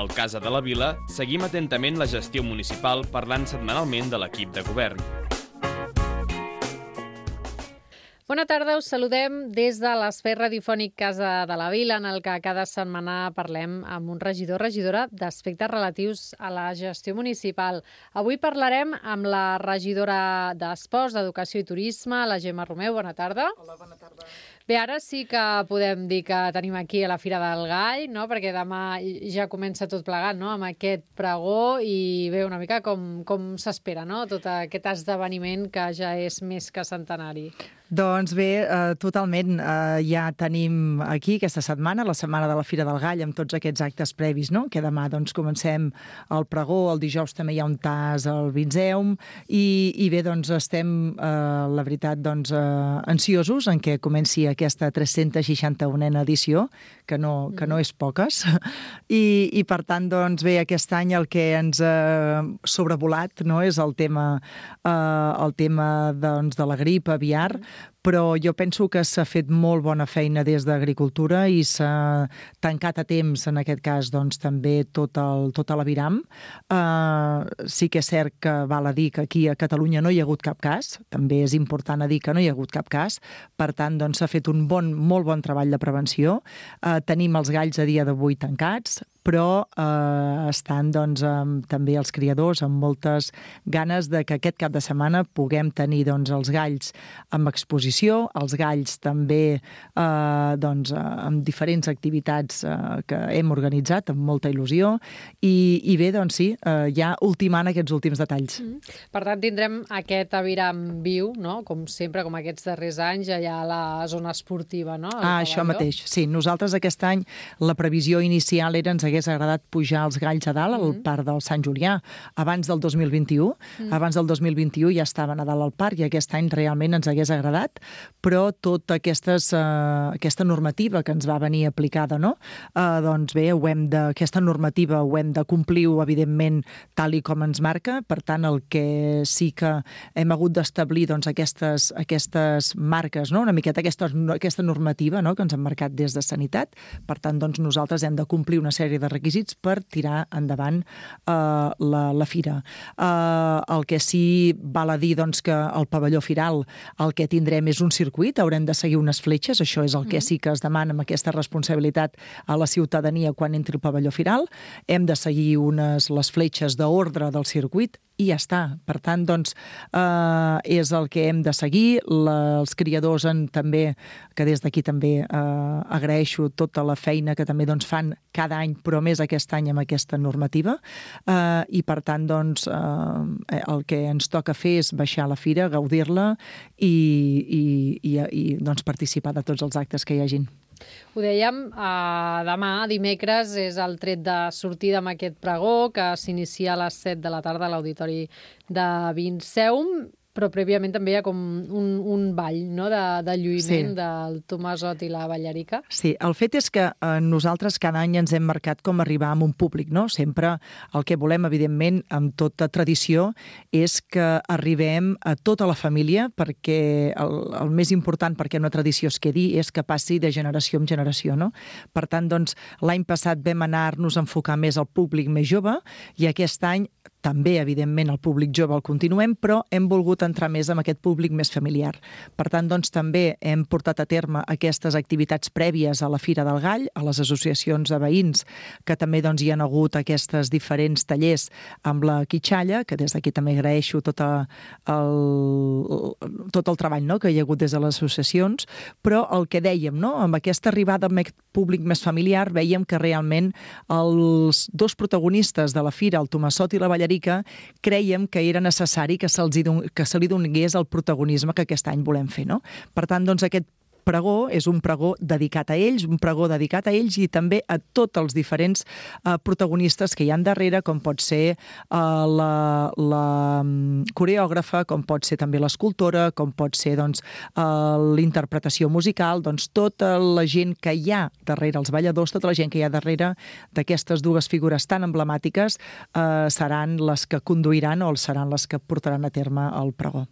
Al Casa de la Vila seguim atentament la gestió municipal parlant setmanalment de l'equip de govern. Bona tarda, us saludem des de l'espai radiofònic Casa de la Vila, en el que cada setmana parlem amb un regidor o regidora d'aspectes relatius a la gestió municipal. Avui parlarem amb la regidora d'Esports, d'Educació i Turisme, la Gemma Romeu. Bona tarda. Hola, bona tarda. Bé, ara sí que podem dir que tenim aquí a la Fira del Gall, no? Perquè demà ja comença tot plegat, no? Amb aquest pregó i bé, una mica com s'espera, no? Tot aquest esdeveniment que ja és més que centenari. Doncs bé, totalment. Ja tenim aquí aquesta setmana, la setmana de la Fira del Gall, amb tots aquests actes previs, no? Que demà doncs, comencem el pregó, el dijous també hi ha un tas al Vinzeum i bé, doncs estem, la veritat, doncs, ansiosos en què comenci aquesta 361a edició, que no és poques. I per tant, doncs bé, aquest any el que ens ha sobrevolat, no, és el tema doncs, de la grip aviar, però jo penso que s'ha fet molt bona feina des d'Agricultura i s'ha tancat a temps, en aquest cas, doncs, també tota l'aviram. Sí que és cert que val a dir que aquí a Catalunya no hi ha hagut cap cas, també és important a dir que no hi ha hagut cap cas, per tant, doncs, s'ha fet un molt bon treball de prevenció. Tenim els galls a dia d'avui tancats, però estan doncs, també els criadors amb moltes ganes de que aquest cap de setmana puguem tenir doncs, els galls amb exposició, els galls també doncs, amb diferents activitats que hem organitzat amb molta il·lusió i bé, doncs sí, ja ultimant aquests últims detalls. Per tant, tindrem aquest aviram viu, no? Com sempre, com aquests darrers anys, allà a la zona esportiva, no? Això mateix, sí. Nosaltres aquest any la previsió inicial era ens hagués agradat pujar els galls a dalt al Parc del Sant Julià abans del 2021. Abans del 2021 ja estaven a dalt al parc i aquest any realment ens hagués agradat, però tota aquesta normativa que ens va venir aplicada, no? Doncs bé, aquesta normativa ho hem de complir, evidentment, tal i com ens marca. Per tant, el que sí que hem hagut d'establir doncs, aquestes marques, no? Una miqueta aquesta normativa, no? Que ens han marcat des de Sanitat. Per tant, doncs, nosaltres hem de complir una sèrie de requisits per tirar endavant la fira. El que sí val a dir doncs, que el pavelló firal el que tindrem és un circuit, haurem de seguir unes fletxes, això és el que sí que es demana amb aquesta responsabilitat a la ciutadania quan entri el pavelló firal. Hem de seguir les fletxes d'ordre del circuit i ja està. Per tant, doncs, és el que hem de seguir. Els criadors també, que des d'aquí també agraeixo tota la feina que també doncs, fan cada any, però més aquest any amb aquesta normativa. I per tant, doncs, el que ens toca fer és baixar a la fira, gaudir-la i doncs, participar de tots els actes que hi hagin. Ho dèiem, demà, dimecres, és el tret de sortida amb aquest pregó que s'inicia a les 7 de la tarda a l'Auditori de Vinzeum, però prèviament també hi ha com un ball, no?, de lluïment del Tomasot i la Ballarica. Sí, el fet és que nosaltres cada any ens hem marcat com arribar amb un públic, no? Sempre el que volem, evidentment, amb tota tradició, és que arribem a tota la família, perquè el més important perquè una tradició es quedi és que passi de generació en generació, no? Per tant, doncs, l'any passat vam anar-nos a enfocar més al públic més jove i aquest any també, evidentment, el públic jove el continuem, però hem volgut entrar més en aquest públic més familiar. Per tant, doncs, també hem portat a terme aquestes activitats prèvies a la Fira del Gall, a les associacions de veïns, que també doncs, hi han hagut aquestes diferents tallers amb la quitxalla, que des d'aquí també agraeixo tot el treball, no?, que hi ha hagut des de les associacions, però el que dèiem, no?, amb aquesta arribada amb aquest públic més familiar, veiem que realment els dos protagonistes de la Fira, el Tomasot i la Ballarica, crèiem que era necessari que se li donés el protagonisme que aquest any volem fer, no? Per tant, doncs, aquest pregó és un pregó dedicat a ells, i també a tots els diferents protagonistes que hi ha darrere, com pot ser la coreògrafa, com pot ser també l'escultora, com pot ser doncs, l'interpretació musical, doncs tota la gent que hi ha darrere, els balladors, tota la gent que hi ha darrere d'aquestes dues figures tan emblemàtiques seran les que conduiran o seran les que portaran a terme el pregó.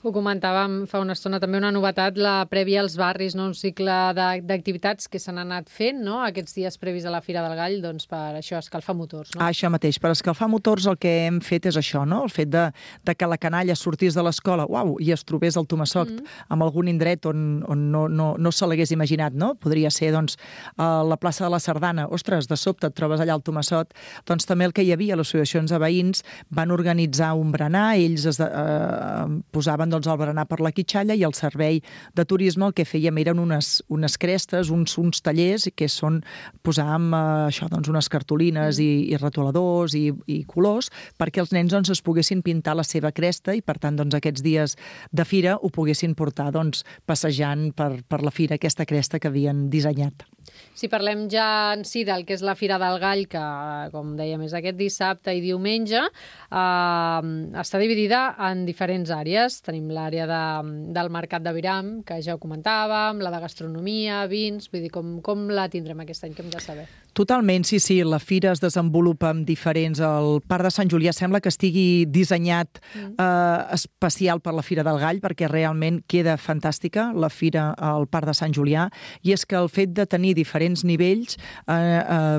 Ho comentàvem fa una estona, també una novetat, la prèvia als barris, no? Un cicle d'activitats que s'han anat fent, no? Aquests dies previs a la Fira del Gall, doncs per això, escalfar motors, no? Això mateix, per escalfar motors el que hem fet és això, no? El fet de que la canalla sortís de l'escola, i es trobés al Tomassoct en algun indret on no se l'hagués imaginat, no? Podria ser, doncs, a la plaça de la Sardana. Ostres, de sobte et trobes allà al Tomassoct. Doncs també el que hi havia, les associacions de veïns van organitzar un berenar, ells posaven el berenar per la quitxalla i el servei de turisme el que fèiem eren unes crestes, uns tallers que són posar amb unes cartolines i retoladors i colors perquè els nens es poguessin pintar la seva cresta i per tant aquests dies de fira ho poguessin portar passejant per la fira aquesta cresta que havien dissenyat. Si parlem ja en si del que és la Fira del Gall, que, com dèiem, és aquest dissabte i diumenge, està dividida en diferents àrees. Tenim l'àrea del Mercat d'Aviram, que ja ho comentàvem, la de gastronomia, vins... Vull dir, com la tindrem aquest any, que hem de saber? Totalment, sí. La fira es desenvolupa amb diferents... El Parc de Sant Julià sembla que estigui dissenyat especial per la Fira del Gall, perquè realment queda fantàstica la fira al Parc de Sant Julià, i és que el fet de tenir diferents nivells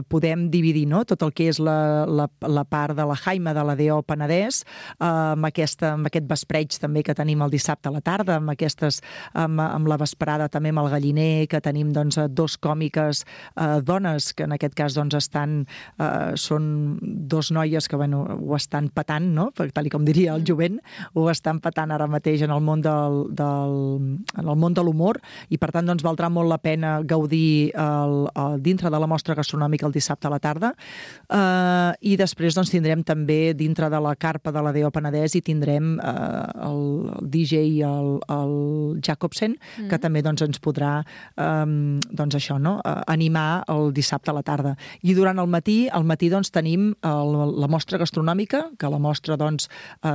podem dividir, no? Tot el que és la part de la Jaima de la DO Penedès, amb aquest vespreig també que tenim el dissabte a la tarda, amb la vesprada també amb el Galliner, que tenim dos còmiques dones, que en aquest cas són dos noies que ho estan petant, no? Tal com diria el jovent, ho estan petant ara mateix en el món de l'humor, i per tant valdrà molt la pena gaudir dintre de la mostra gastronòmica el dissabte a la tarda, i després tindrem també dintre de la carpa de la DO Penedès i tindrem el DJ el Jacobsen, que també ens podrà animar el dissabte a la tarda. I durant el matí tenim la mostra gastronòmica, que la mostra,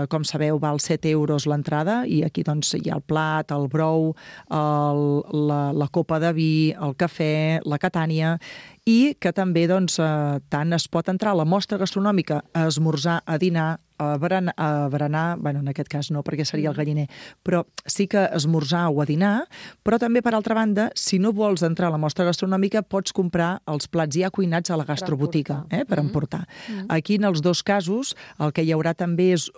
com sabeu, val 7 euros l'entrada, i aquí hi ha el plat, el brou, la copa de vi, el cafè, la catània, i que també tant es pot entrar a la mostra gastronòmica a esmorzar, a dinar, a berenar, en aquest cas no, perquè seria el Galliner, però sí que esmorzar o a dinar, però també, per altra banda, si no vols entrar a la mostra gastronòmica, pots comprar els plats ja cuinats a la gastrobotiga, per emportar. Aquí, en els dos casos, el que hi haurà també és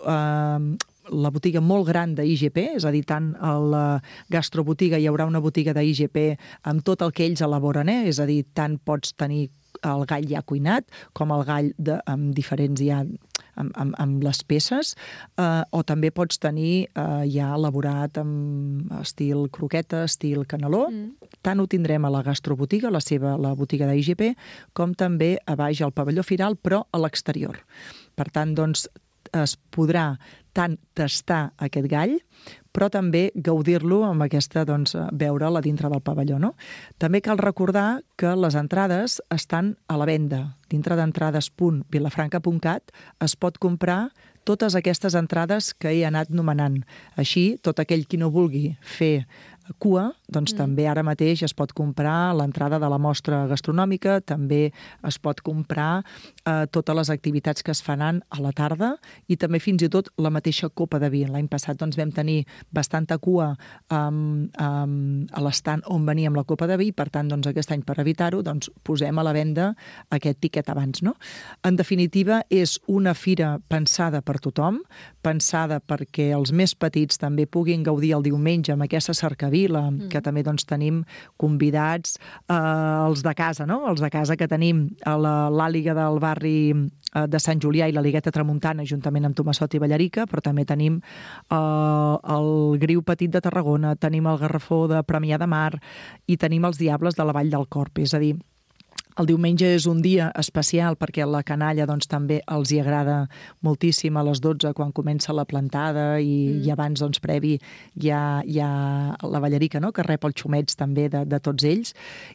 la botiga molt gran d'IGP, és a dir, tant a la gastrobotiga hi haurà una botiga d'IGP amb tot el que ells elaboren, és a dir, tant pots tenir el gall ja cuinat, com el gall amb diferents ja amb les peces, o també pots tenir ja elaborat amb estil croqueta, estil caneló. Tant ho tindrem a la gastrobotiga, la botiga d'IGP, com també a baix al pavelló firal, però a l'exterior. Per tant, es podrà tant tastar aquest gall, però també gaudir-lo amb aquesta, veure'l a dintre del pavelló, no? També cal recordar que les entrades estan a la venda. Dintre d'entrades.vilafranca.cat es pot comprar totes aquestes entrades que he anat nomenant. Així, tot aquell qui no vulgui fer cua, també ara mateix es pot comprar l'entrada de la mostra gastronòmica, també es pot comprar totes les activitats que es faran a la tarda i també fins i tot la mateixa copa de vi. L'any passat vam tenir bastanta cua a l'estant on veníem la copa de vi i per tant aquest any per evitar-ho posem a la venda aquest tiquet abans, no? En definitiva, és una fira pensada per tothom, pensada perquè els més petits també puguin gaudir el diumenge amb aquesta cercavila, que també tenim convidats, els de casa, no? Els de casa que tenim a l'àliga del barri de Sant Julià i la Ligueta Tramuntana, juntament amb Tomassot i Ballarica, però també tenim el Griu Petit de Tarragona, tenim el Garrafó de Premià de Mar i tenim els Diables de la Vall del Corp. És a dir, el diumenge és un dia especial perquè la canalla també els hi agrada moltíssim a les 12 quan comença la plantada i abans previ hi ha la Ballarica, no?, que rep els xumets també de tots ells.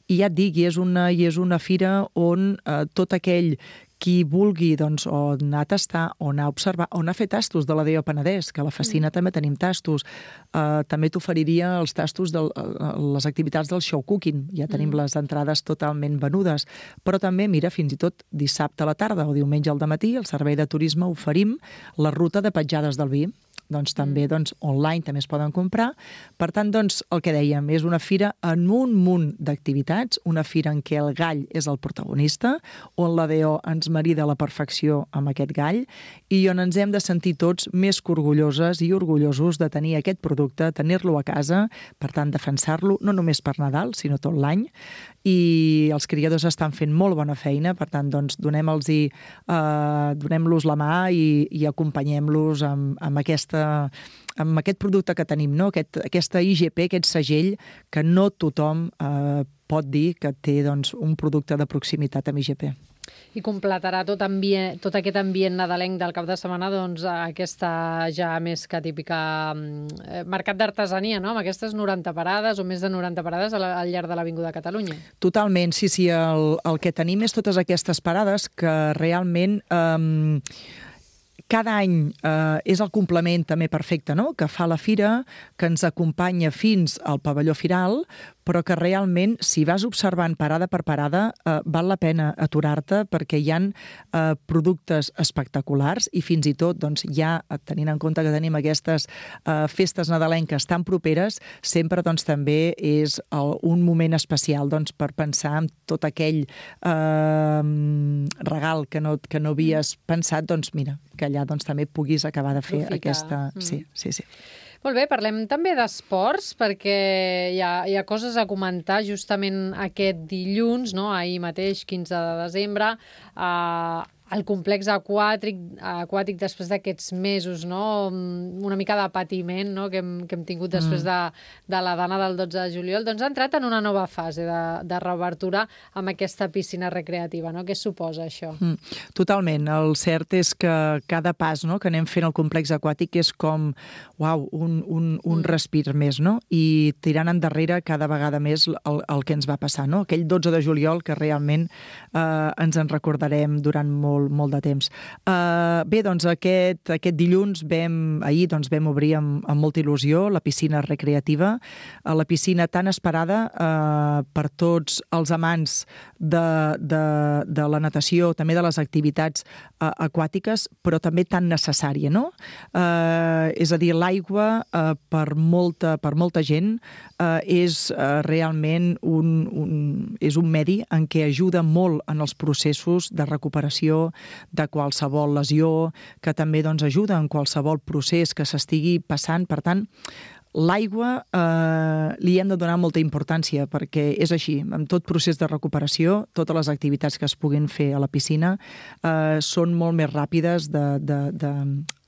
I ja et dic, és una fira on tot aquell qui vulgui o anar a tastar, o anar a observar, o anar a fer tastos de la DO Penedès, que a la Fascina també tenim tastos. També t'oferiria els tastos de les activitats del show cooking. Ja tenim les entrades totalment venudes. Però també, mira, fins i tot dissabte a la tarda o diumenge al dematí, al servei de turisme oferim la ruta de petjades del vi. doncs també online també es poden comprar. Per tant, doncs, el que dèiem, és una fira en un munt d'activitats, una fira en què el gall és el protagonista, on la DO ens marida a la perfecció amb aquest gall i on ens hem de sentir tots més que orgulloses i orgullosos de tenir aquest producte, tenir-lo a casa, per tant, defensar-lo, no només per Nadal, sinó tot l'any. I els criadors estan fent molt bona feina, per tant, doncs, donem-los la mà i acompanyem-los amb aquest producte que tenim, no? Aquesta IGP, aquest segell, que no tothom pot dir que té un producte de proximitat amb IGP. I completarà tot aquest ambient nadalenc del cap de setmana aquesta ja més que típica mercat d'artesania, no? Amb aquestes 90 parades o més de 90 parades al llarg de l'Avinguda Catalunya. Totalment, sí. El que tenim és totes aquestes parades que realment cada any és el complement també perfecte, no? Que fa la fira, que ens acompanya fins al pavelló firal, però que realment, si vas observant parada per parada, val la pena aturar-te perquè hi ha productes espectaculars i fins i tot, ja tenint en compte que tenim aquestes festes nadalenques tan properes, sempre també és un moment especial per pensar en tot aquell regal que no havies pensat, mira, que allà també puguis acabar de fer aquesta... Sí. Molt bé, parlem també d'esports, perquè hi ha coses a comentar justament aquest dilluns, no? Ahir mateix, 15 de desembre, el complex aquàtic després d'aquests mesos, no? Una mica de patiment, no? que hem tingut després de la dana del 12 de juliol, ha entrat en una nova fase de reobertura amb aquesta piscina recreativa, no? Què suposa això? Totalment. El cert és que cada pas, no?, que anem fent al complex aquàtic és com, un respir més, no? I tirant endarrere cada vegada més el que ens va passar, no? Aquell 12 de juliol que realment ens en recordarem durant molt de temps. Bé, aquest dilluns ahir vam obrir amb molta il·lusió la piscina recreativa, la piscina tan esperada per tots els amants de la natació, també de les activitats aquàtiques, però també tan necessària, no? És a dir, l'aigua per molta gent és realment és un medi en què ajuda molt en els processos de recuperació de qualsevol lesió, que també ajuda en qualsevol procés que s'estigui passant. Per tant, l'aigua li hem de donar molta importància perquè és així, amb tot procés de recuperació, totes les activitats que es puguin fer a la piscina són molt més ràpides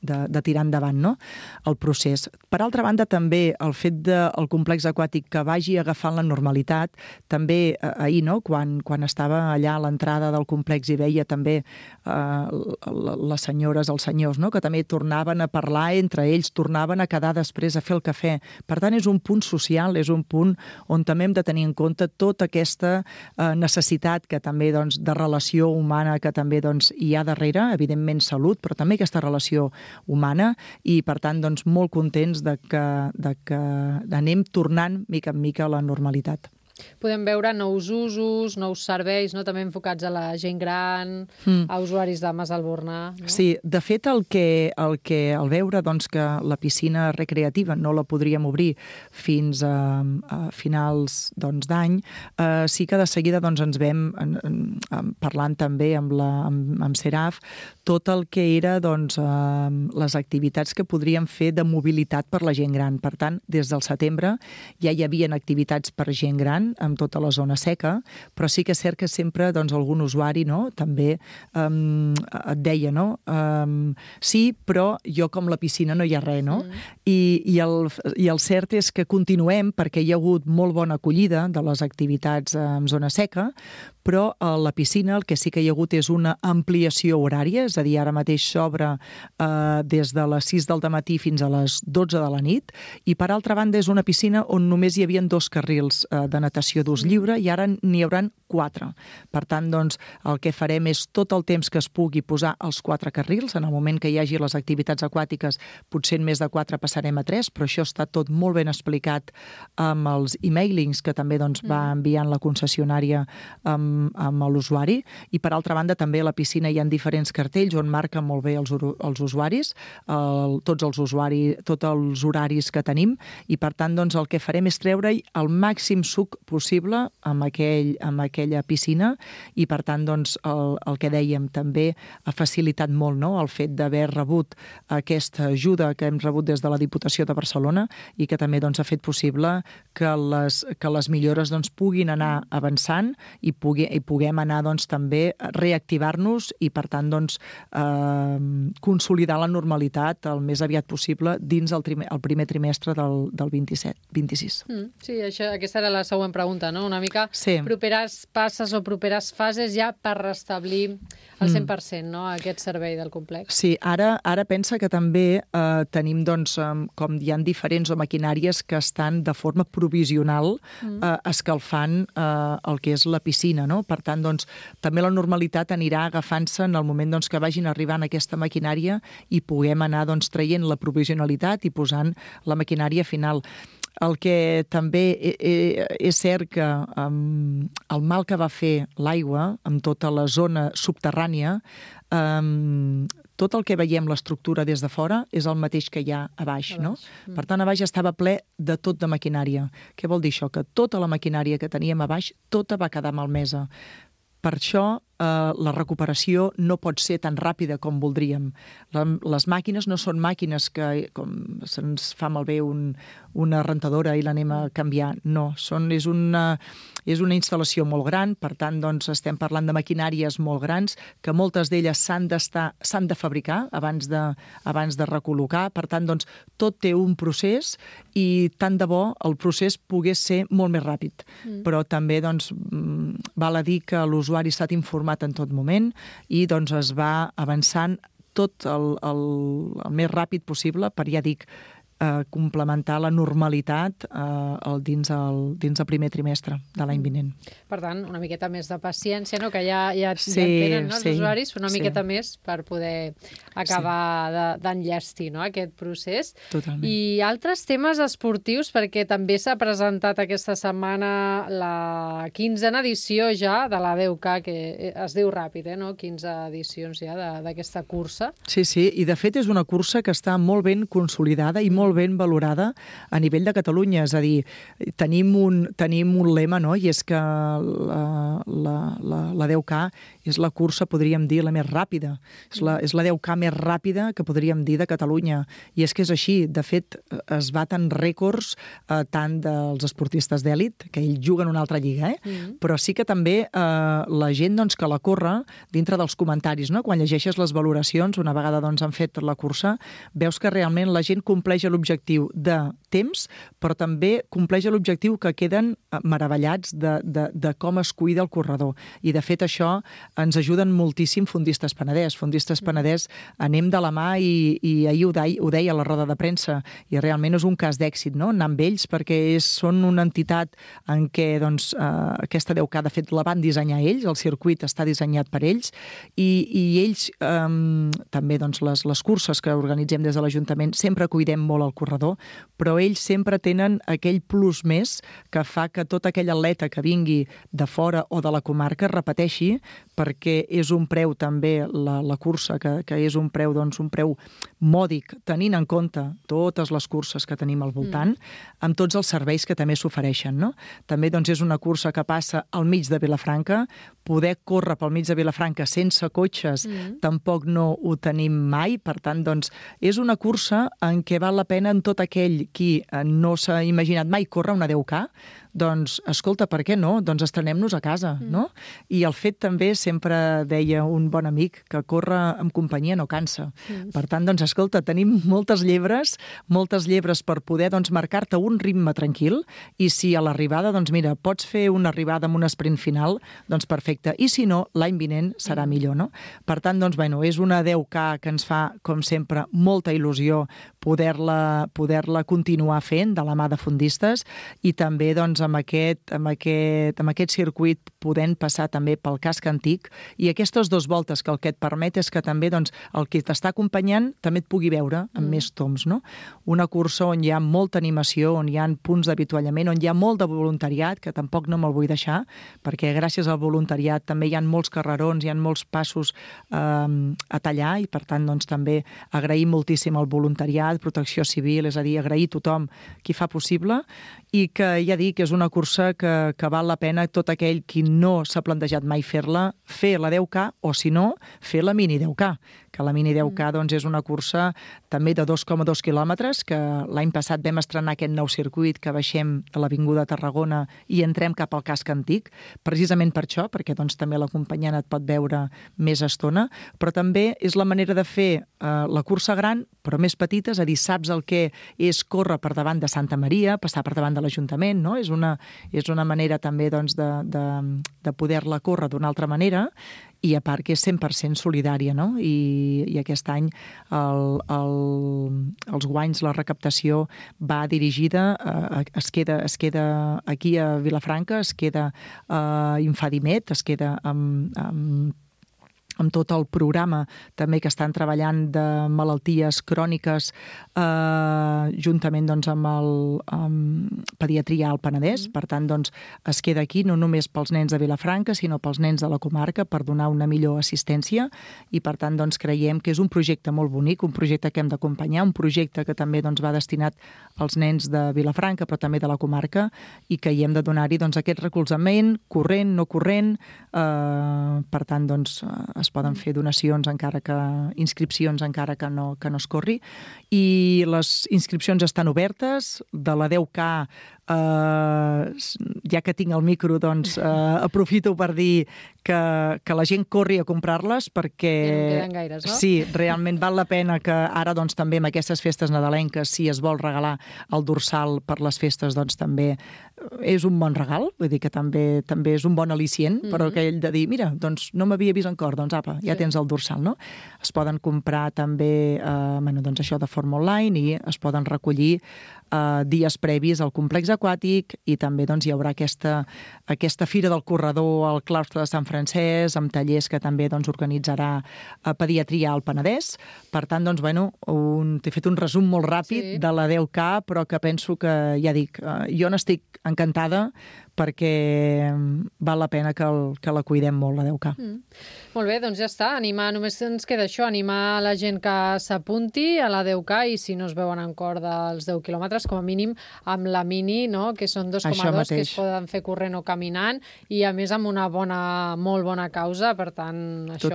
de tirar endavant, no?, el procés. Per altra banda, també el fet del complex aquàtic que vagi agafant la normalitat, també ahir, no?, quan estava allà a l'entrada del complex i veia també les senyores, els senyors, no?, que també tornaven a parlar entre ells, tornaven a quedar després a fer el cafè. Per tant, és un punt social, és un punt on també hem de tenir en compte tota aquesta necessitat que també de relació humana que també hi ha darrere, evidentment salut, però també aquesta relació humana i, per tant, molt contents de que anem tornant mica en mica a la normalitat. Podem veure nous usos, nous serveis, no?, també enfocats a la gent gran, a usuaris de Mas Albornà. No? Sí, de fet, al veure que la piscina recreativa no la podríem obrir fins a finals d'any, sí que de seguida ens vam parlant també amb Seraf tot el que era les activitats que podríem fer de mobilitat per la gent gran. Per tant, des del setembre ja hi havia activitats per gent gran amb tota la zona seca, però sí que és cert que sempre algun usuari, no?, també et deia, no?, sí, però jo com la piscina no hi ha res, no? I el cert és que continuem perquè hi ha hagut molt bona acollida de les activitats en zona seca, però a la piscina el que sí que hi ha hagut és una ampliació horària, és a dir, ara mateix s'obre des de les 6 del matí fins a les 12 de la nit, i per altra banda és una piscina on només hi havia 2 carrils de natació d'ús lliure i ara n'hi hauran 4. Per tant, el que farem és tot el temps que es pugui posar els 4 carrils. En el moment que hi hagi les activitats aquàtiques, potser en més de 4 passarem a 3, però això està tot molt ben explicat amb els e-mailings que també va enviant la concessionària amb amb l'usuari, i per altra banda també a la piscina hi ha diferents cartells on marquen molt bé els usuaris, tots els horaris que tenim, i per tant doncs, el que farem és treure-hi el màxim suc possible amb aquella piscina, i per tant doncs, el que dèiem també ha facilitat molt, no?, el fet d'haver rebut aquesta ajuda que hem rebut des de la Diputació de Barcelona, i que també doncs, ha fet possible que les millores doncs, puguin anar avançant i puguem anar doncs, també reactivar-nos i per tant doncs, consolidar la normalitat el més aviat possible dins el primer trimestre del 26. Sí, aquesta era la següent pregunta, no? Una mica properes passes o properes fases ja per restablir al 100%, no?, aquest servei del complex. Sí, ara pensa que també tenim, doncs, com hi ha diferents maquinàries que estan de forma provisional escalfant el que és la piscina, no? Per tant, doncs, també la normalitat anirà agafant-se en el moment doncs, que vagin arribant aquesta maquinària i puguem anar doncs, traient la provisionalitat i posant la maquinària final. El que també és cert que el mal que va fer l'aigua amb tota la zona subterrània, tot el que veiem l'estructura des de fora és el mateix que hi ha a baix, no? Per tant, a baix estava ple de tot de maquinària. Què vol dir això? Que tota la maquinària que teníem a baix, tota va quedar malmesa. Per això la recuperació no pot ser tan ràpida com voldríem. Les màquines no són màquines que, com se'ns fa malbé una rentadora i l'anem a canviar. No, és una instal·lació molt gran, per tant, doncs, estem parlant de maquinàries molt grans, que moltes d'elles s'han de fabricar abans de recol·locar. Per tant, doncs, tot té un procés i tant de bo el procés pogués ser molt més ràpid. Però també doncs, val a dir que l'usuari ha estat informat en tot moment i doncs, es va avançant tot el més ràpid possible per, ja dic, complementar la normalitat dins el primer trimestre de l'any vinent. Per tant, una miqueta més de paciència, no? Que ja tenen els usuaris, una miqueta més per poder acabar d'enllestir, no?, aquest procés. Totalment. I altres temes esportius, perquè també s'ha presentat aquesta setmana la 15a edició ja de la 10K, que es diu ràpid, no? 15 edicions ja d'aquesta cursa. Sí, i de fet és una cursa que està molt ben consolidada i molt ben valorada a nivell de Catalunya. És a dir, tenim un lema, no?, i és que la 10K és la cursa, podríem dir, la més ràpida. És la 10K més ràpida que podríem dir de Catalunya. I és que és així. De fet, es baten rècords tant dels esportistes d'èlit, que ells juguen una altra lliga, però sí que també la gent doncs, que la corre, dintre dels comentaris, no?, quan llegeixes les valoracions, una vegada doncs, han fet la cursa, veus que realment la gent compleix l'objectiu de temps, però també compleix l'objectiu que queden meravellats de com es cuida el corredor. I, de fet, això ens ajuden moltíssim Fondistes Penedès. Fondistes Penedès anem de la mà i ahir ho deia a la roda de premsa, i realment és un cas d'èxit, no?, anar amb ells, perquè són una entitat en què doncs, aquesta 10K, de fet, la van dissenyar ells, el circuit està dissenyat per ells, i ells també doncs, les curses que organitzem des de l'Ajuntament sempre cuidem molt el corredor, però ells sempre tenen aquell plus més que fa que tot aquell atleta que vingui de fora o de la comarca repeteixi, perquè és un preu també la cursa, que és un preu, doncs, un preu mòdic, tenint en compte totes les curses que tenim al voltant, amb tots els serveis que també s'ofereixen, no? També doncs, és una cursa que passa al mig de Vilafranca. Poder córrer pel mig de Vilafranca sense cotxes tampoc no ho tenim mai, per tant, doncs, és una cursa en què val la pena en tot aquell qui no s'ha imaginat mai córrer una 10K, doncs, escolta, per què no? Doncs estrenem-nos a casa, no? I el fet també, sempre deia un bon amic, que córrer amb companyia no cansa. Per tant, doncs, escolta, tenim moltes llebres per poder doncs, marcar-te un ritme tranquil, i si a l'arribada, doncs mira, pots fer una arribada amb un sprint final, doncs perfecte. I si no, l'any vinent serà millor, no? Per tant, doncs, bueno, és una 10K que ens fa, com sempre, molta il·lusió poder-la continuar fent de la mà de Fondistes, i també, doncs, amb aquest circuit podent passar també pel casc antic, i aquestes 2 voltes que el que et permet és que també doncs, el que t'està acompanyant també et pugui veure amb més toms, no? Una cursa on hi ha molta animació, on hi ha punts d'avituallament, on hi ha molt de voluntariat, que tampoc no me'l vull deixar, perquè gràcies al voluntariat també hi ha molts carrerons, hi ha molts passos a tallar, i per tant doncs, també agrair moltíssim al voluntariat, Protecció Civil, és a dir, agrair a tothom qui fa possible, i que ja dic, és una cursa que val la pena tot aquell qui no s'ha plantejat mai fer-la, fer la 10K, o si no, fer la mini 10K, que la mini 10K doncs, és una cursa també de 2,2 quilòmetres, que l'any passat vam estrenar aquest nou circuit, que baixem a l'Avinguda Tarragona i entrem cap al casc antic, precisament per això, perquè doncs, també l'acompanyant et pot veure més estona, però també és la manera de fer la cursa gran, però més petita, és a dir, saps el que és córrer per davant de Santa Maria, passar per davant de l'Ajuntament, no? És una manera també doncs, de poder-la córrer d'una altra manera, i a part que és 100% solidària, no? I aquest any els guanys, la recaptació va dirigida, es queda aquí a Vilafranca, es queda a Infadimet, es queda amb tot el programa també que estan treballant de malalties cròniques juntament doncs, amb Pediatria al Penedès. Per tant, doncs, es queda aquí no només pels nens de Vilafranca, sinó pels nens de la comarca per donar una millor assistència, i per tant doncs, creiem que és un projecte molt bonic, un projecte que hem d'acompanyar, un projecte que també doncs, va destinat als nens de Vilafranca però també de la comarca, i que hi hem de donar-hi doncs, aquest recolzament, corrent, no corrent, per tant doncs, es poden fer donacions, inscripcions encara que no es corri, i les inscripcions estan obertes. De la 10K, ja que tinc el micro, doncs aprofito per dir que la gent corri a comprar-les, perquè ja no en queden gaires, no? Sí, realment val la pena que ara doncs, també amb aquestes festes nadalenques, si es vol regalar el dorsal per les festes, doncs també és un bon regal, vull dir que també és un bon al·licient, però aquell de dir, mira, doncs no m'havia vist en cor, doncs apa, ja tens el dorsal, no? Es poden comprar també, doncs això de forma online, i es poden recollir dies previs al complex aquàtic, i també doncs, hi haurà aquesta Fira del Corredor al claustre de Sant Francesc, amb tallers que també doncs, organitzarà Pediatria al Penedès. Per tant, doncs, t'he fet un resum molt ràpid de la 10K, però que penso que, ja dic, jo n'estic encantada, perquè val la pena que la cuidem molt, la 10K. Molt bé, doncs ja està. Només ens queda això, animar la gent que s'apunti a la 10K, i si no es veuen en cor dels 10 quilòmetres, com a mínim amb la mini, no? Que són 2,2, que es poden fer corrent o caminant, i a més amb una molt bona causa. Per tant, això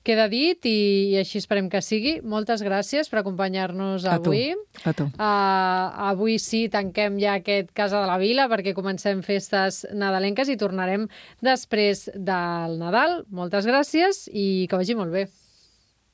queda dit, i així esperem que sigui. Moltes gràcies per acompanyar-nos avui. A tu. Avui sí, tanquem ja aquest Casa de la Vila, perquè comencem festes nadalenques i tornarem després del Nadal. Moltes gràcies i que vagi molt bé.